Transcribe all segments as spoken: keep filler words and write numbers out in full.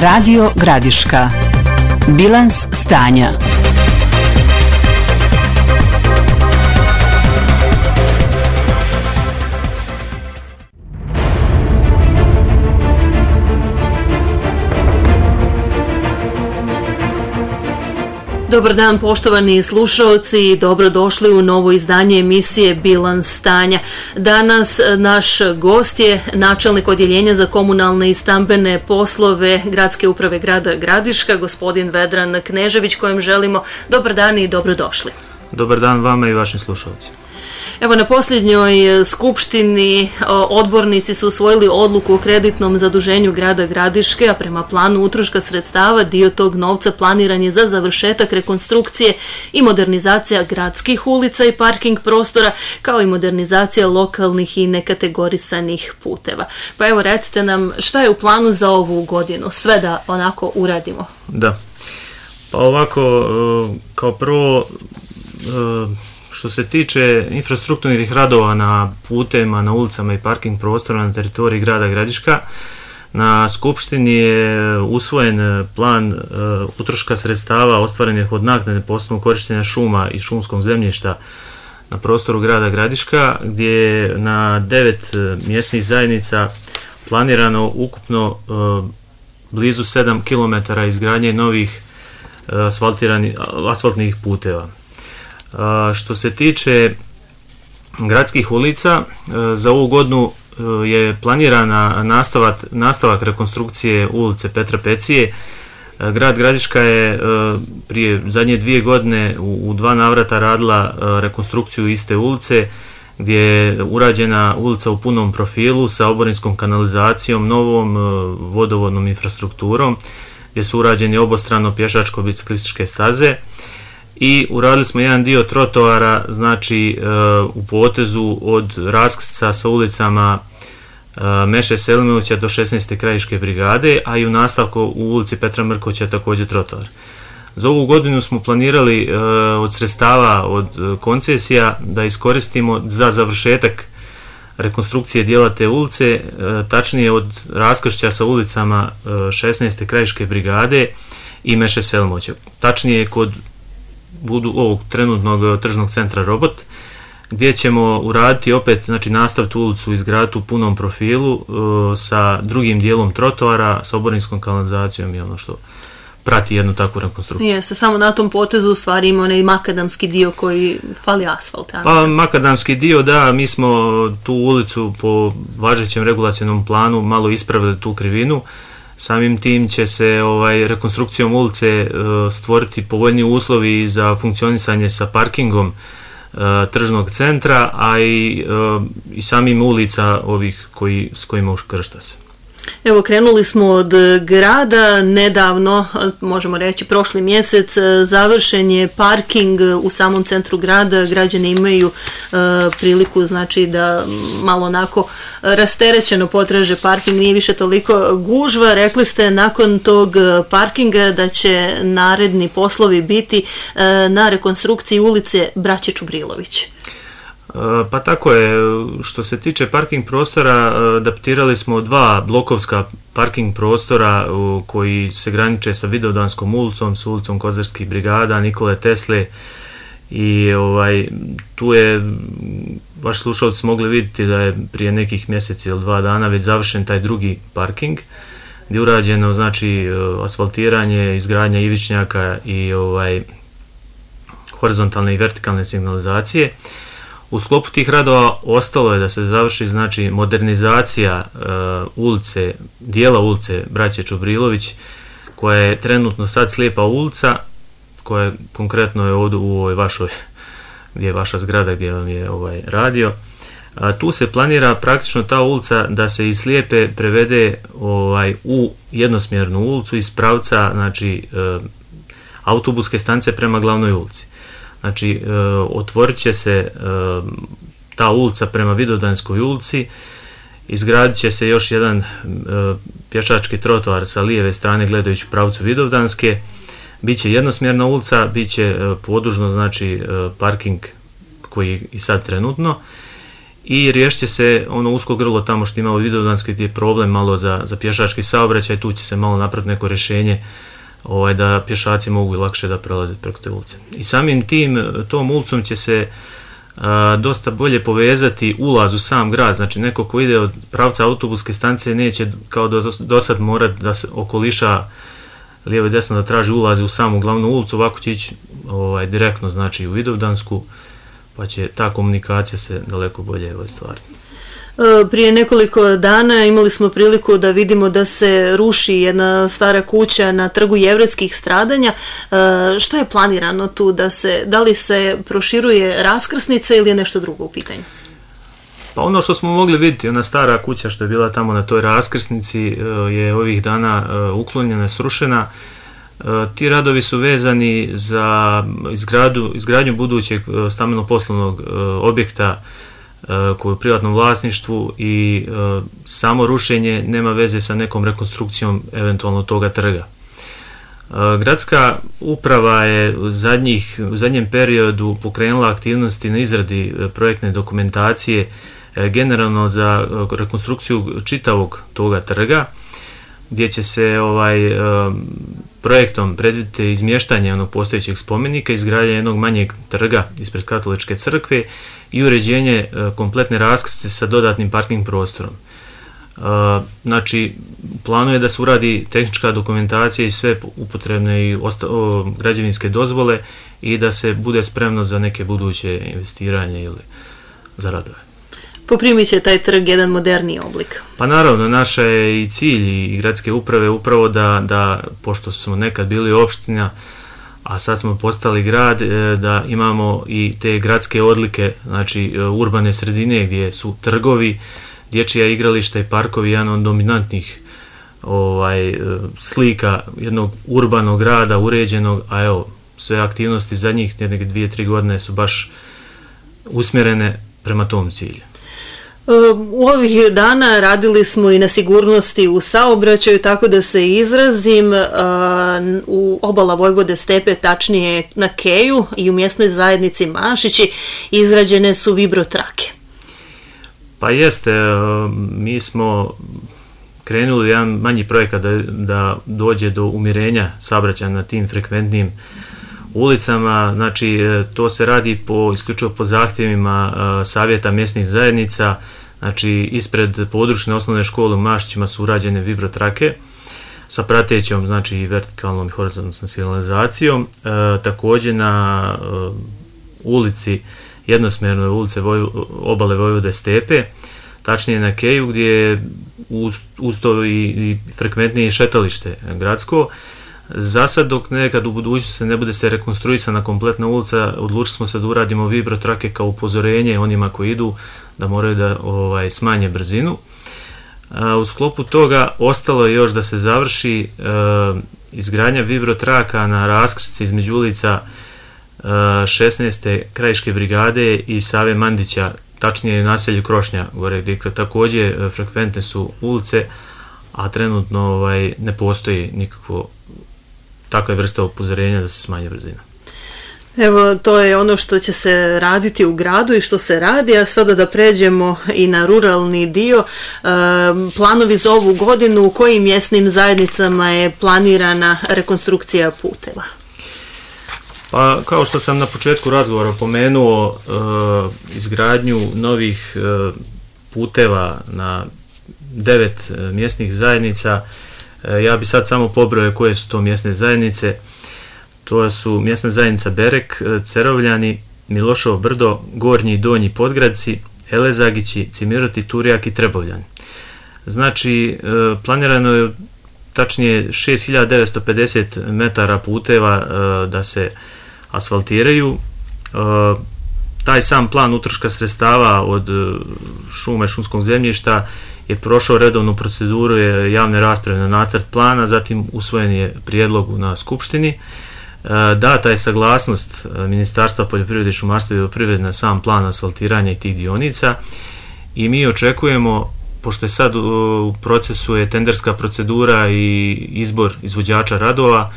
Radio Gradiška. Bilans stanja. Dobar dan poštovani slušalci i dobrodošli u novo izdanje emisije Bilans stanja. Danas naš gost je načelnik odjeljenja za komunalne i stambene poslove Gradske uprave grada Gradiška, gospodin Vedran Knežević, kojem želimo dobar dan i dobrodošli. Dobar dan vama i vašim slušalcima. Evo, na posljednjoj skupštini odbornici su usvojili odluku o kreditnom zaduženju grada Gradiške, a prema planu utroška sredstava dio tog novca planiran je za završetak rekonstrukcije i modernizacija gradskih ulica i parking prostora, kao i modernizacija lokalnih i nekategorisanih puteva. Pa evo, recite nam šta je u planu za ovu godinu, sve da onako uradimo. Da, pa ovako, kao prvo, što se tiče infrastrukturnih radova na putevima, na ulicama i parking prostorima na teritoriji grada Gradiška, na skupštini je usvojen plan uh, utroška sredstava ostvarenih od naknade po osnovu korištenja šuma i šumskog zemljišta na prostoru grada Gradiška, gdje je na devet uh, mjesnih zajednica planirano ukupno uh, blizu sedam kilometara izgradnje novih uh, asfaltnih puteva. Što se tiče gradskih ulica, za ovu godinu je planirana nastavak, nastavak rekonstrukcije ulice Petra Pecije. Grad Gradiška je prije zadnje dvije godine u, u dva navrata radila rekonstrukciju iste ulice, gdje je urađena ulica u punom profilu sa oborinskom kanalizacijom, novom vodovodnom infrastrukturom, gdje su urađeni obostrano pješačko-biciklističke staze. I uradili smo jedan dio trotoara, znači u potezu od raskrsca sa ulicama Meše Selimovića do šesnaeste krajiške brigade, a i u nastavku u ulici Petra Mrkovića također trotoar. Za ovu godinu smo planirali od sredstava od koncesija da iskoristimo za završetak rekonstrukcije dijela te ulice, tačnije od raskršća sa ulicama šesnaeste krajiške brigade i Meše Selimovića. Tačnije kod budu ovog trenutnog tržnog centra Robot, gdje ćemo uraditi opet, znači nastaviti ulicu i izgraditi u punom profilu uh, sa drugim dijelom trotoara, sa oborinskom kanalizacijom i ono što prati jednu takvu rekonstrukciju. Jeste, samo na tom potezu u stvari ima onaj makadamski dio koji fali asfalt. Pa makadamski dio, da, mi smo tu ulicu po važećem regulacionom planu malo ispravili tu krivinu. Samim tim će se ovaj, rekonstrukcijom ulice uh, stvoriti povoljni uslovi za funkcionisanje sa parkingom uh, tržnog centra, a i, uh, i samim ulica ovih koji, s kojima uškršta se. Evo, krenuli smo od grada, nedavno, možemo reći prošli mjesec, završen je parking u samom centru grada, građani imaju e, priliku, znači, da malo onako rasterećeno potraže parking, nije više toliko gužva. Rekli ste nakon tog parkinga da će naredni poslovi biti e, na rekonstrukciji ulice Braće Čubrilović. Pa tako je, što se tiče parking prostora, adaptirali smo dva blokovska parking prostora koji se graniče sa Vidovdanskom ulicom, s ulicom Kozarskih brigada, Nikole Tesle, i ovaj, tu je, vaši slušalci mogli vidjeti da je prije nekih mjeseci ili dva dana već završen taj drugi parking, gdje je urađeno, znači, asfaltiranje, izgradnja ivičnjaka i ovaj, horizontalne i vertikalne signalizacije. U sklopu tih radova ostalo je da se završi, znači, modernizacija uh, ulice, dijela ulice Braće Čubrilović, koja je trenutno sad slijepa ulica, koja je, konkretno je ovdje u ovoj vašoj, gdje je vaša zgrada gdje vam je ovaj radio. A, tu se planira praktično ta ulica da se iz slijepe prevede ovaj, u jednosmjernu ulicu iz pravca, znači, uh, autobuske stanice prema glavnoj ulici. Znači, e, otvorit će se e, ta ulica prema Vidovdanskoj ulici, izgradit će se još jedan e, pješački trotoar sa lijeve strane gledajući u pravcu Vidovdanske, bit će jednosmjerna ulica, bit će e, podužno, znači, e, parking koji i sad trenutno, i riješit će se ono usko grlo tamo što ima u Vidovdanskoj gdje je problem malo za, za pješački saobraćaj, tu će se malo napraviti neko rješenje ovaj, da pješaci mogu lakše da prelaze preko te ulice. I samim tim, tom ulicom će se a, dosta bolje povezati ulaz u sam grad, znači neko ko ide od pravca autobuske stanice neće kao do, do sad morati da se okoliša lijevo i desno da traži ulazi u samu glavnu ulicu, ovako će ići ovaj, direktno znači u Vidovdansku, pa će ta komunikacija se daleko bolje ostvariti. Prije nekoliko dana imali smo priliku da vidimo da se ruši jedna stara kuća na Trgu jevrejskih stradanja. Što je planirano tu? Da, se, da li se proširuje raskrsnica ili je nešto drugo u pitanju? Pa ono što smo mogli vidjeti, ona stara kuća što je bila tamo na toj raskrsnici je ovih dana uklonjena, srušena. Ti radovi su vezani za izgradu, izgradnju budućeg stambeno-poslovnog objekta koji je u privatnom vlasništvu i samo rušenje nema veze sa nekom rekonstrukcijom eventualno toga trga. Gradska uprava je u, zadnjih, u zadnjem periodu pokrenula aktivnosti na izradi projektne dokumentacije generalno za rekonstrukciju čitavog toga trga, gdje će se ovaj, projektom predvidjeti izmještanje onog postojećeg spomenika, izgradnje jednog manjeg trga ispred Katoličke crkve i uređenje kompletne raskrsnice sa dodatnim parking prostorom. Znači, planu je da se uradi tehnička dokumentacija i sve upotrebne i osta- o, građevinske dozvole i da se bude spremno za neke buduće investiranje ili za radove. Poprimit će taj trg jedan moderniji oblik. Pa naravno, naša je i cilj i gradske uprave upravo da, da pošto smo nekad bili opština, a sad smo postali grad, da imamo i te gradske odlike, znači urbane sredine gdje su trgovi, dječja igrališta i parkovi, jedan od dominantnih ovaj, slika jednog urbanog grada, uređenog, a evo, sve aktivnosti zadnjih neke dvije, tri godine su baš usmjerene prema tom cilju. U ovih dana radili smo i na sigurnosti u saobraćaju, tako da se izrazim, u obala Vojvode Stepe, tačnije na Keju i u mjesnoj zajednici Mašići, izrađene su vibrotrake. Pa jeste, mi smo krenuli jedan manji projekat da, da dođe do umirenja saobraćaja na tim frekventnim ulicama, znači to se radi po, isključivo po zahtjevima uh, savjeta mjesnih zajednica, znači ispred područne osnovne škole u Mašićima su urađene vibrotrake sa pratećom, znači vertikalnom i horizontalnom signalizacijom, uh, također na uh, ulici, jednosmjernoj ulice Voj, obale Vojvode Stepe, tačnije na Keju gdje je uz, uz to i, i frekventnije šetalište gradsko. Za sad, dok nekad u budućnosti se ne bude se rekonstruisana kompletna ulica, odlučili smo se da uradimo vibrotrake kao upozorenje onima koji idu da moraju da ovaj, smanje brzinu. A, u sklopu toga ostalo je još da se završi a, izgradnja vibrotraka na raskrsnici između ulica a, šesnaeste krajiške brigade i Save Mandića, tačnije u naselju Krošnja, gore gdje također frekventne su ulice, a trenutno ovaj, ne postoji nikakvo takve vrste upozorenja da se smanji brzina. Evo, to je ono što će se raditi u gradu i što se radi, a sada da pređemo i na ruralni dio. E, planovi za ovu godinu, u kojim mjesnim zajednicama je planirana rekonstrukcija puteva? Pa, kao što sam na početku razgovora pomenuo, e, izgradnju novih e, puteva na devet e, mjesnih zajednica. E, ja bi sad samo pobrojao koje su to mjesne zajednice. To su mjesna zajednica Berek, Cerovljani, Miloševo Brdo, Gornji i Donji Podgradci, Elezagići, Cimiroti, Turjak i Trebovljani. Znači, e, planirano je tačnije šest hiljada devetsto pedeset metara puteva e, da se asfaltiraju. E, taj sam plan utroška sredstava od šume, šumskog zemljišta je prošao redovnu proceduru je javne rasprave na nacrt plana, zatim usvojen je prijedlog na skupštini. E, data je saglasnost Ministarstva poljoprivrede i šumarstva i vodoprivrede na sam plan asfaltiranja tih dionica i mi očekujemo, pošto je sad u procesu je tenderska procedura i izbor izvođača radova,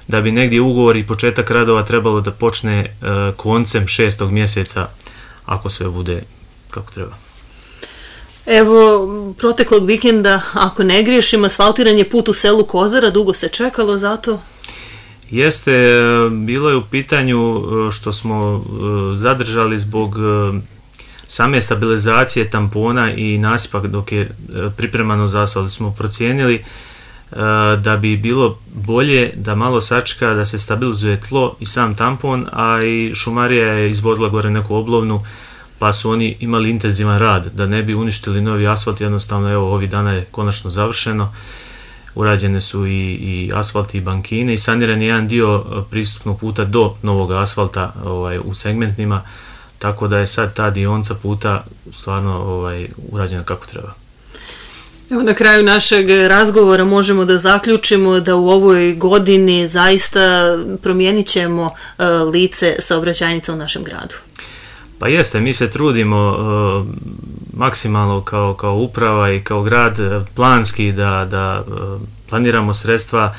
da bi negdje ugovor i početak radova trebalo da počne koncem šestog mjeseca, ako sve bude kako treba. Evo, proteklog vikenda, ako ne griješim, asfaltiran je put u selu Kozara, dugo se čekalo za to? Jeste, bilo je u pitanju što smo zadržali zbog same stabilizacije tampona i nasipa dok je pripremano za asfalt. Smo procijenili da bi bilo bolje da malo sačeka, da se stabilizuje tlo i sam tampon, a i šumarija je izvozila gore neku oblovnu, pa su oni imali intenzivan rad, da ne bi uništili novi asfalt. Jednostavno, evo, ovih dana je konačno završeno, urađene su i, i asfalt i bankine i saniran je jedan dio pristupnog puta do novog asfalta ovaj, u segmentnima, tako da je sad ta dionica puta stvarno ovaj, urađena kako treba. Evo, na kraju našeg razgovora možemo da zaključimo da u ovoj godini zaista promijenit ćemo uh, lice saobraćajnica u našem gradu. Pa jeste, mi se trudimo uh, maksimalno kao, kao uprava i kao grad planski da, da uh, planiramo sredstva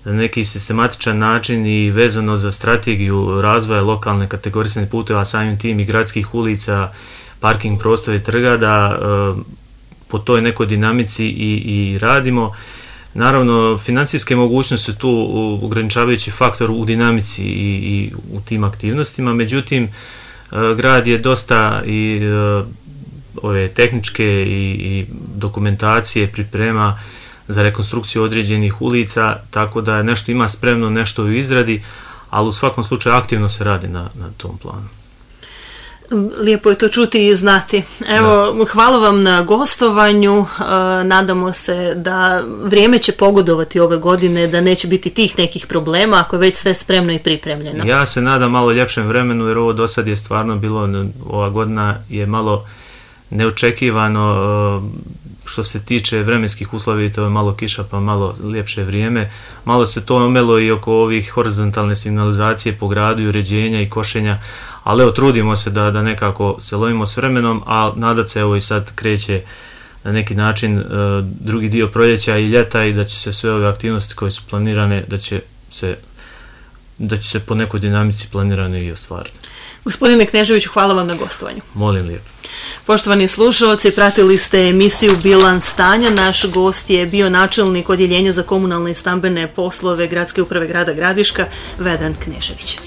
na neki sistematičan način i vezano za strategiju razvoja lokalne kategorisane puteva, samim tim i gradskih ulica, parking prostora i trga, da uh, po toj nekoj dinamici i, i radimo. Naravno, financijske mogućnosti su tu ograničavajući faktor u dinamici i, i u tim aktivnostima, međutim, grad je dosta i ove tehničke i, i dokumentacije priprema za rekonstrukciju određenih ulica, tako da nešto ima spremno, nešto u izradi, ali u svakom slučaju aktivno se radi na, na tom planu. Lijepo je to čuti i znati. Evo, da. Hvala vam na gostovanju. Nadamo se da vrijeme će pogodovati ove godine, da neće biti tih nekih problema ako je već sve spremno i pripremljeno. Ja se nadam malo ljepšem vremenu, jer ovo do sad je stvarno bilo, ova godina je malo neočekivano što se tiče vremenskih uslova, to je malo kiša pa malo ljepše vrijeme. Malo se to omelo i oko ovih horizontalne signalizacije po gradu i uređenja i košenja, ali evo, trudimo se da, da nekako se lovimo s vremenom, a nadat se, evo, i sad kreće na neki način uh, drugi dio proljeća i ljeta i da će se sve ove aktivnosti koje su planirane, da će se, da će se po nekoj dinamici planirane i ostvariti. Gospodine Kneževiću, hvala vam na gostovanju. Molim lijepo. Poštovani slušalci, pratili ste emisiju Bilans stanja. Naš gost je bio načelnik Odjeljenja za komunalne i stambene poslove Gradske uprave grada Gradiška, Vedran Knežević.